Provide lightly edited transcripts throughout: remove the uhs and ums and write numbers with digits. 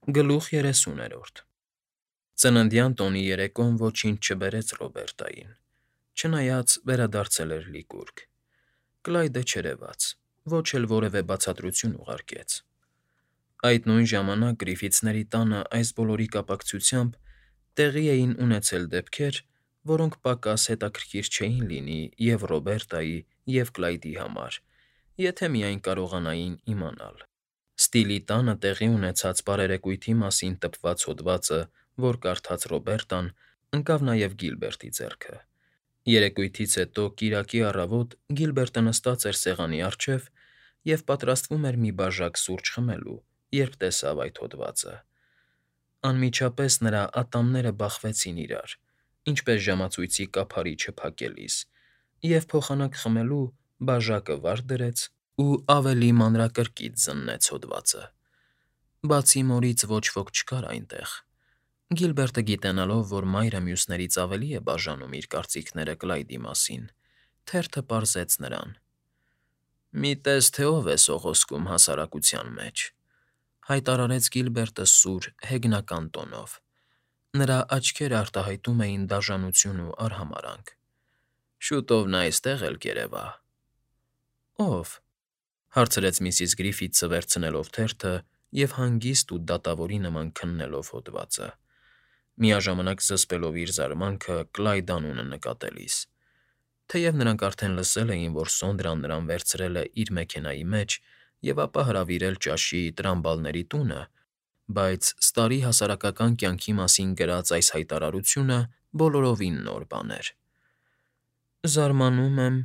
Գլուխ 30-րդ Ծննդյան տոնի երեկոն ոչինչ չբերեց Ռոբերտային, չնայած վերադարձել էր լիկուրգ. Կլայդը չերևաց, ոչ էլ որևէ բացատրություն ուղարկեց։ Այդ նույն ժամանակ Գրիֆիթսների տանը այս բոլորի կապակցությամբ տեղի էին ունեցել դեպքեր, որոնք պակաս հետաքրքիր չէին լինի և Ռոբերտայի, և Կլայդի համար, եթե միայն կարողանային իմանալ։ Ստիլի տանը տեղի ունեցած բարերեկույթի մասին տպված հոդվածը, որ կարդաց Ռոբերտան, ընկավ նաև Գիլբերտի ձեռքը։ Երեկույթից հետո կիրակի առավոտ Գիլբերտը նստած էր սեղանի առջև և պատրաստվում էր մի բաժակ սուրճ խմելու, երբ տեսավ այդ հոդվածը։ Անմիջապես նրա ատամները բախվեցին իրար, ինչպես ժամացույցի կափարիչը փակելիս, և փոխանակ խմելու բաժակը վար դրեց ու ավելի մանրակրկիտ զննեց հոդվածը։ Բացի մորից ոչ ոք չկար այնտեղ։ Գիլբերտը գիտենալով, որ մայրը մյուսներից ավելի է բաժանում իր կարծիքները Կլայդի մասին, թերթը պարզեց նրան. «Մի տես, թե ով է սողոսկում հասարակության մեջ», հայտարարեց Գիլբերտը սուր, հեգնական տոնով. նրա աչքերը արտահայտում էին դաժանություն ու արհամարհանք։ «Շուտով նա այստեղ էլ կերևա»։ «Ո՞վ»։ հարցրեց միսիս Գրիֆիթսը վերցնելով թերթը և հանգիստ ու դատավորի նման քննելով հոդվածը, միաժամանակ զսպելով իր զարմանքը Կլայդ անունը նկատելիս։ Թեև նրանք արդեն լսել էին, որ Սոնդրան նրան վերցրել է իր մեքենայի մեջ և ապա հրավիրել ճաշի Տրամբալների տունը, բայց Սարի հասարակական կյանքի մասին գրած այս հայտարարությունը բոլորովին նոր բան էր։ «Զարմանում եմ,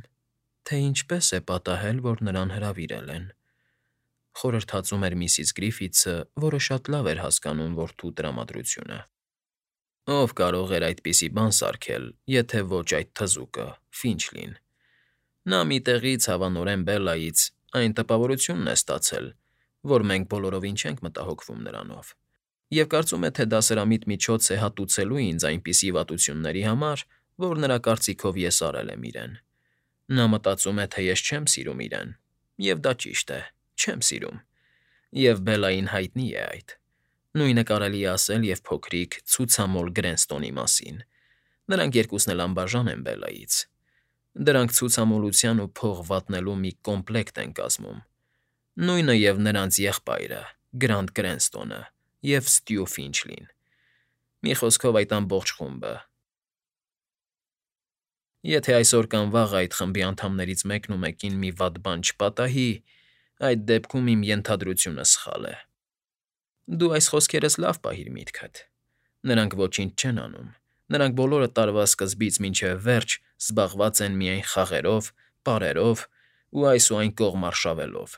թե ինչպես է պատահել, որ նրան հրավիրել են», խորհրդածում էր միսիս Գրիֆիթսը, որը շատ լավ էր հասկանում որդու տրամադրությունը։ «Ով կարող էր այդպիսի բան սարքել, եթե ոչ այդ թզուկը՝ Ֆինչլին։ Նա մի տեղից, հավանորեն Բելլայից, այն տպավորությունն է ստացել, որ մենք բոլորովին չենք մտահոգվում նրանով, և կարծում է, թե դասերամիտ միջոց է հատուցելու ինձ այնպիսի վատությունների համար, որ նրա կարծիքով ես արել եմ իրեն։ Նա մտածում է, թե ես չեմ սիրում իրեն, և դա ճիշտ է, չեմ սիրում, և Բելլային հայտնի է այդ։ Նույնը կարելի է ասել և փոքրիկ ցուցամոլ Գրենստոնի մասին։ Նրանք երկուսն էլ անբաժան են Բելլայից։ Դրանք ցուցամոլության ու փող վատնելու մի կոմպլեկտ են կազմում։ Նույնը և նրանց եղբայրը՝ Գրանտ Գրենստոնը և Ստյու Ֆինչլին։ Մի խոսքով, այդ ամբողջ խումբը։ Եթե այսօր կամ վաղ այդ խմբի անդամներից մեկն ու մեկին մի վատ բան չպատահի, այդ դեպքում իմ ենթադրությունը սխալ է։ Դու այս խոսքերս լավ պահիր միտքդ։ Նրանք ոչինչ չեն անում։ Նրանք բոլորը տարվա սկզբից մինչև վերջ զբաղված են միայն խաղերով, պարերով ու այս ու այն կողմ արշավելով։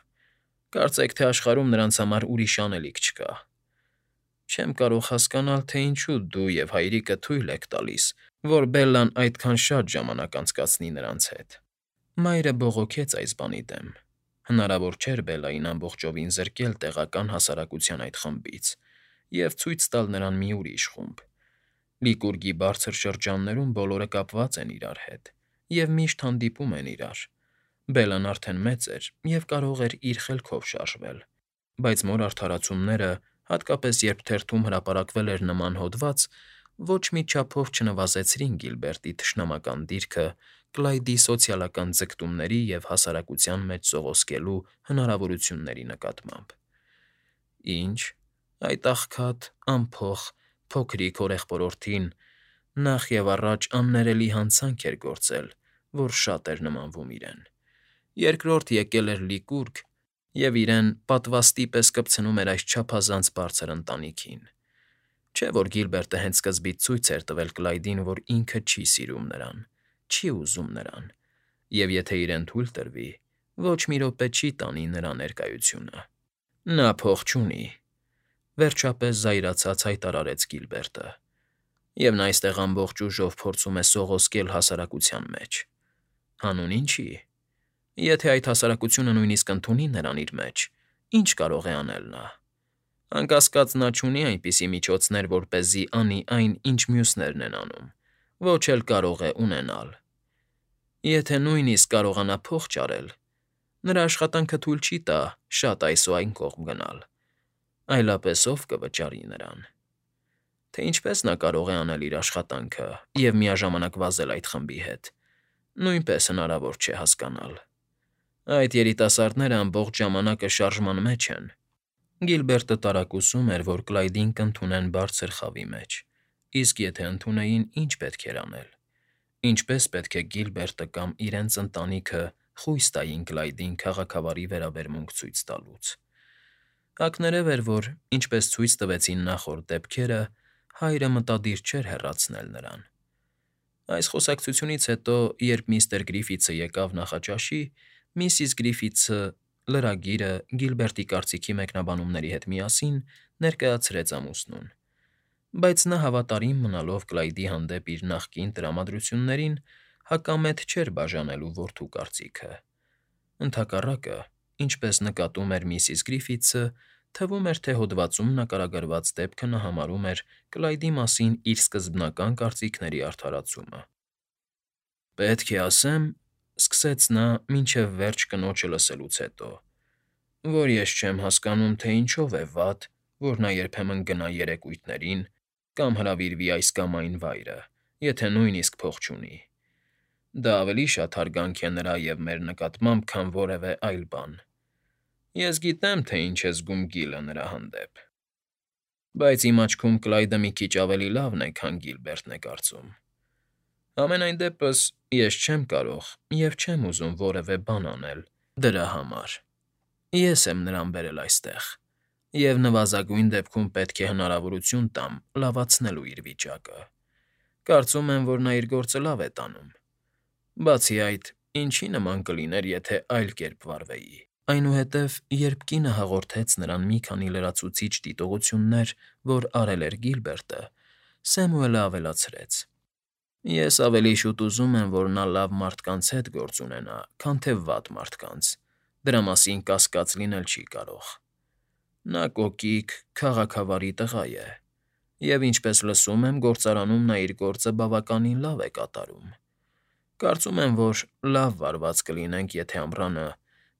Կարծեք, թե աշխարհում նրանց համար ուրիշ անելիք չկա։ Չեմ կարող հասկանալ, թե ինչու դու և հայրիկը թույլ եք տալիս, որ Բելլան այդքան շատ ժամանակ անցկացնի նրանց հետ։ Մայրը բողոքեց այս բանի դեմ։ Հնարավոր չէր Բելլային ամբողջովին զրկել տեղական հասարակության այդ խմբից և ցույց տալ նրան մի ուրիշ խումբ։ Լիկուրգի բարձր շրջաններում բոլորը կապված են իրար հետ և միշտ հանդիպում են իրար։ Բելլան արդեն մեծ էր և կարող էր իր խելքով շարժվել, բայց մոր արդարացումները, հատկապես երբ թերթում հրապարակվել էր նման հոդված, ոչ մի չափով չնվազեցրին Գիլբերտի թշնամական դիրքը Կլայդի սոցիալական ձգտումների և հասարակության մեջ սողոսկելու հնարավորությունների նկատմամբ։ Ինչ, այդ աղքատ, անփող, փոքրիկ հորեղբորորդին նախ և առաջ աններելի հանցանք էր գործել, որ շատ էր նմանվում իրեն։ Երկրորդ եկել էր լիկուրգ և իրեն պատվաստի պես կպցնում էր այս չափազանց բարձր ընտանիքին։ Չէ՞ որ Գիլբերտը հենց սկզբից ցույց էր տվել Կլայդին, որ ինքը չի սիրում նրան, չի ուզում նրան, և եթե իրեն թույլ տրվի, ոչ մի րոպե չի տանի նրա ներկայությունը։ Նա փող չունի, վերջապես զայրացած հայտարարեց Գիլբերտը, և նա այստեղ ամբողջ ուժով փորձում է սողոսկել հասարակության մեջ։ Հանուն ինչի։ Եթե այդ հասարակությունը նույնիսկ ընդունի նրան իր մեջ, ինչ կարող է անել նա։ Անկասկած նա չունի այնպիսի միջոցներ, որպեսզի անի այն, ինչ մյուսներն են անում, ոչ էլ կարող է ունենալ։ Եթե նույնիսկ կարողանա փող ճարել, նրա աշխատանքը թույլ չի տա շատ այս ու այն կողմ գնալ։ Այլապես ով կվճարի նրան։ Թե ինչպես նա կարող է անել իր աշխատանքը և միաժամանակ վազել այդ խմբի հետ, նույնպես հնարավոր չէ հասկանալ։ Այդ երիտասարդները ամբողջ ժամանակը շարժման մեջ են։ Գիլբերտը տարակուսում էր, որ Կլայդին կընդունեն բարձր խավի մեջ, իսկ եթե ընդունեին, ինչ պետք էր անել։ Ինչպես պետք է Գիլբերտը կամ իրենց ընտանիքը խույս տային Կլայդին քաղաքավարի վերաբերմունք ցույց տալուց։ Ակներև էր, որ, ինչպես ցույց տվեցին նախորդ դեպքերը, հայրը մտադիր չէր հեռացնել նրան։ Այս խոսակցությունից հետո, երբ միստր Գրիֆիթսը եկավ նախաճաշի, միսիս Գրիֆիթսը լրագիրը Գիլբերտի կարծիքի մեկնաբանումների հետ միասին ներկայացրեց ամուսնուն, բայց նա հավատարիմ մնալով Կլայդի հանդեպ իր նախկին տրամադրություններին, հակամետ չէր բաժանելու որդու կարծիքը։ Ընդհակառակը, ինչպես նկատում էր միսիս Գրիֆիթսը, թվում էր, թե հոդվածում նկարագրված դեպքը նա համարում էր Կլայդի մասին իր սկզբնական կարծիքների արդարացումը։ «Պետք է ասեմ,֊ սկսեց նա մինչև վերջ կնոջը լսելուց հետո,֊ որ ես չեմ հասկանում, թե ինչով է վատ, որ նա երբեմն գնա երեկույթներին կամ հրավիրվի այս կամ այն վայրը, եթե նույնիսկ փող չունի։ Դա ավելի շատ հարգանք է նրա և մեր նկատմամբ, քան որևէ այլ բան։ Ես գիտեմ, թե ինչ է զգում Գիլը նրա հանդեպ, բայց իմ աչքում Կլայդը մի քիչ ավելի լավն է, քան Գիլբերտն է կարծում։ Համենայն դեպս, ես չեմ կարող և չեմ ուզում որևէ բան անել դրա համար։ Ես եմ նրան բերել այստեղ, և նվազագույն դեպքում պետք է հնարավորություն տամ լավացնելու իր վիճակը։ Կարծում եմ, որ նա իր գործը լավ է տանում։ Բացի այդ, ինչի նման կլիներ, եթե այլ կերպ վարվեի։ Այնուհետև, երբ կինը հաղորդեց նրան մի քանի լրացուցիչ դիտողություններ, որ արել էր Գիլբերտը, Սեմուելը ավելացրեց. «Ես ավելի շուտ ուզում եմ, որ նա լավ մարդկանց հետ գործ ունենա, քան թե վատ մարդկանց, դրա մասին կասկած լինել չի կարող։ Նա կոկիկ, քաղաքավարի տղա է, և, ինչպես լսում եմ, գործարանում նա իր գործը բավականին լավ է կատարում։ Կարծում եմ, որ լավ վարված կլինենք, եթե ամռանը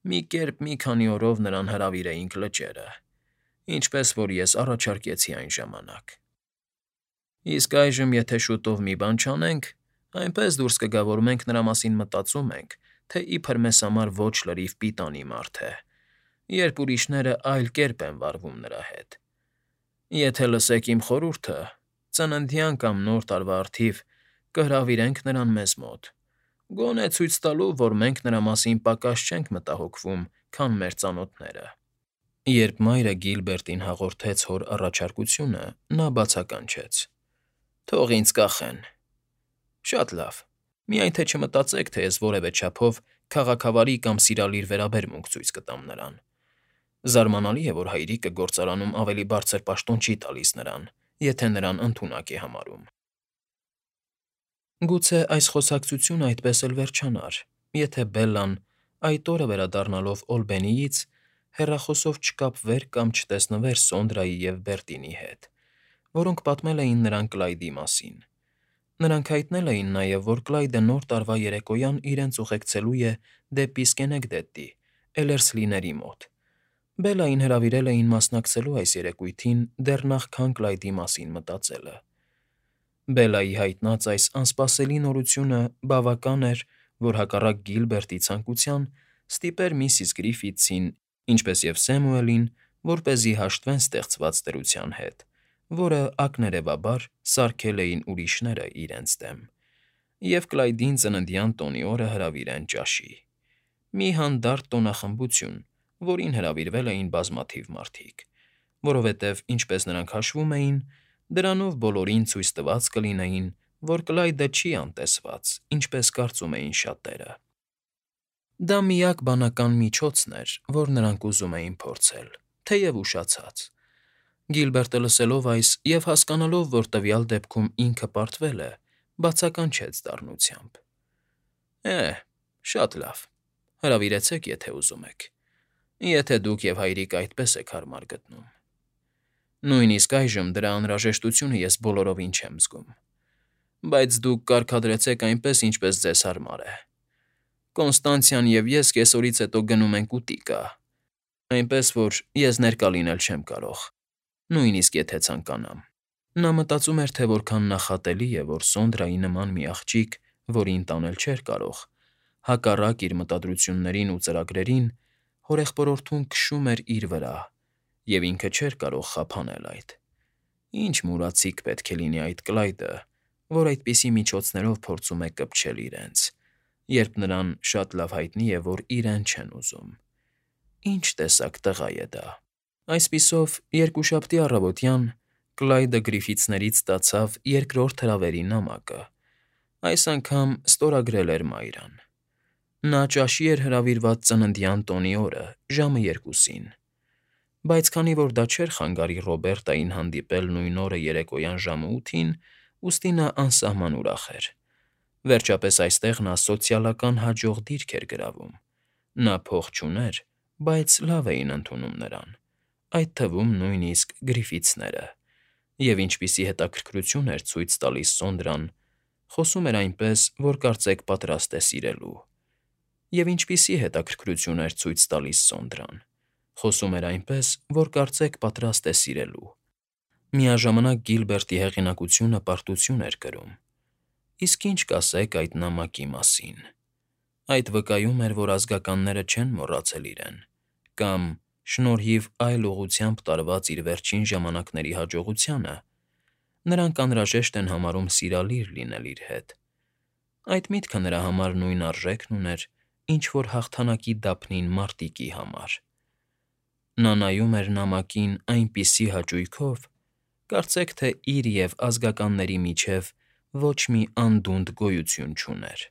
մի կերպ մի քանի օրով նրան հրավիրեինք լճերը, ինչպես որ ես առաջարկեցի այն ժամանակ։ Իսկ այժմ, եթե շուտով մի բան չանենք, այնպես դուրս կգա, որ մենք նրա մասին մտածում ենք, թե իբր մեզ համար ոչ լրիվ պիտանի մարդ է, երբ ուրիշները այլ կերպ են վարվում նրա հետ։ Եթե լսեք իմ խորհուրդը, ծննդյան կամ Նոր տարվա առթիվ կհրավիրենք նրան մեզ մոտ, գոնե ցույց տալու, որ մենք նրա մասին պակաս չենք մտահոգվում, քան մեր ծանոթները»։ Երբ մայրը Գիլբերտին հաղորդեց հոր առաջարկությունը, նա բացականչեց. «Թող ինձ կախեն։ Շատ լավ, միայն թե չմտածեք, թե ես որևէ չափով քաղաքավարի կամ սիրալիր վերաբերմունք ցույց կտամ նրան։ Զարմանալի է, որ հայրիկը գործարանում ավելի բարձր պաշտոն չի տալիս նրան, եթե նրան ընդունակ է համարում»։ Գուցե այս խոսակցությունը այդպես էլ վերջանար, եթե Բելլան, այդ օրը վերադառնալով Օլբենիից, հեռախոսով չկապվեր կամ չտեսնվեր Սոնդրայի և Բերտինի հետ, որոնք պատմել էին նրան Կլայդի մասին։ Նրանք հայտնել էին նաև, որ Կլայդը Նոր տարվա երեկոյան իրենց ուղեկցելու է դեպի Սկենեգդեդի, Էլերսլիների մոտ։ Բելլային հրավիրել էին մասնակցելու այս երեկույթին դեռ նախքան Կլայդի մասին մտածելը։ Բելլայի հայտնած այս անսպասելի նորությունը բավական էր, որ հակառակ Գիլբերտի ցանկության ստիպեր միսիս Գրիֆիթսին, ինչպես և Սեմուելին, որպեսզի հաշտվեն ստեղծված դրության հետ, որը ակներևաբար սարքել էին ուրիշները իրենց դեմ, և Կլայդին ծննդյան տոնի օրը հրավիրեն ճաշի։ Մի հանդարտ տոնախմբություն, որին հրավիրվել էին բազմաթիվ մարդիկ, որովհետև, ինչպես նրանք հաշվում էին, դրանով բոլորին ցույց տված կլինեին, որ Կլայդը չի անտեսված, ինչպես կարծում էին շատերը։ Դա միակ բանական միջոցն էր, որ նրանք ուզում էին փորձել, թեև ուշացած։ Գիլբերտը լսելով այս և հասկանալով, որ տվյալ դեպքում ինքը պարտվել է, բացականչեց դառնությամբ. Շատ լավ, հրավիրեցեք, եթե ուզում եք, եթե դուք և հայրիկը այդպես եք հարմար գտնում։ Նույնիսկ այժմ դրա անհրաժեշտությունը ես բոլորովին չեմ զգում, բայց դուք կարգադրեցեք այնպես, ինչպես ձեզ հարմար է։ Կոնստանցիան և ես կեսօրից հետո գնում ենք ուտիկա, այնպես որ ես ներկա լինել չեմ կարող։ նույնիսկ եթե ցանկանամ։ Նա մտածում էր, թե որքան նախատելի է, որ Սոնդրայի նման մի աղջիկ, որին տանել չէր կարող, հակառակ իր մտադրություններին ու ծրագրերին, հորեղբորորդուն քշում էր իր վրա, և ինքը չէր կարող խափանել այդ։ Ինչ մուրացիկ պետք է լինի այդ Կլայդը, որ այդպիսի միջոցներով փորձում է կպչել իրենց, երբ նրան շատ լավ հայտնի է, որ իրեն չեն ուզում։ Ինչ տեսակ տղա է դա։ Այսպիսով, երկուշաբթի առավոտյան Կլայդը Գրիֆիթսներից ստացավ երկրորդ հրավերի նամակը։ Այս անգամ ստորագրել էր Մայրան։ Նա ճաշի էր հրավիրված ծննդյան տոնի օրը, ժամը 2-ին։ Բայց քանի որ դա չէր խանգարի Ռոբերտային հանդիպել նույն օրը երեկոյան ժամը 8-ին, ուստի նա անսահման ուրախ էր։ Վերջապես այստեղ նա սոցիալական հաջող դիրք էր գրավում։ Նա փող չուներ, բայց լավ էին ընդունում նրան, այդ թվում նույնիսկ Գրիֆիթսները։ Եվ ինչպիսի հետաքրքրություն էր ցույց տալիս Սոնդրան, խոսում էր այնպես, որ կարծեք պատրաստ է սիրելու։ Եվ ինչպիսի հետաքրքրություն էր ցույց տալիս Սոնդրան, խոսում էր այնպես, որ կարծեք պատրաստ է սիրելու։ Միաժամանակ Գիլբերտի հեղինակությունը պարտություն էր կրում։ Իսկ ինչ կասեք այդ նամակի մասին։ Այդ վկայում էր, որ ազգականները չեն մոռացել իրեն, կամ, շնորհիվ այլ ուղղությամբ տարված իր վերջին ժամանակների հաջողությանը, նրանք անհրաժեշտ են համարում սիրալիր լինել իր հետ։ Այդ միտքը նրա համար նույն արժեքն ուներ, ինչ որ հաղթանակի դափնին մարտիկի համար։ Նա նայում էր նամակին այնպիսի հաճույքով, կարծեք թե իր և ազգականների միջև ոչ մի անդունդ գոյություն չուներ։